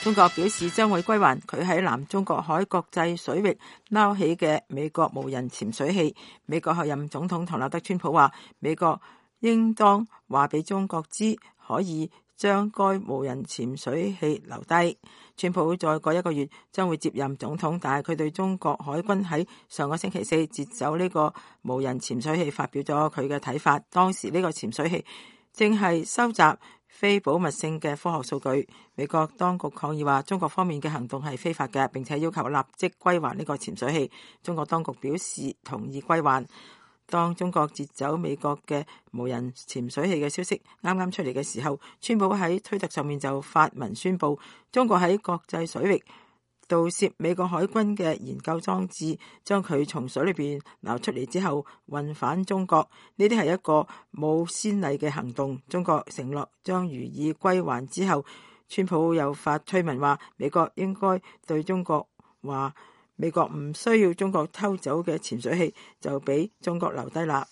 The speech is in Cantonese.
中國表示將會歸還佢喺南中國海國際水域撈起嘅美國無人潛水器。美國候任總統唐納德·川普話，美國應當話俾中國知，可以將該無人潛水器留低。川普再過1個月將會接任總統，但係佢對中國海軍喺上個星期4截走呢個無人潛水器發表咗佢嘅睇法。當時呢個潛水器正係收集非保密性嘅科學數據。美國當局抗議話，中國方面嘅行動係非法嘅，並且要求立即歸還呢個潛水器。中國當局表示同意歸還。當中國截走美國嘅無人潛水器嘅消息啱啱出嚟嘅時候，川普喺推特上面就發文宣布，中國喺國際水域盜竊美國海軍嘅研究裝置，將佢從水裏邊撈出嚟之後運返中國。呢啲係一個冇先例嘅行動。中國承諾將予以歸還之後，川普又發推文話，美國應該對中國話，美國唔需要中國偷走嘅潛水器，就俾中國留低啦。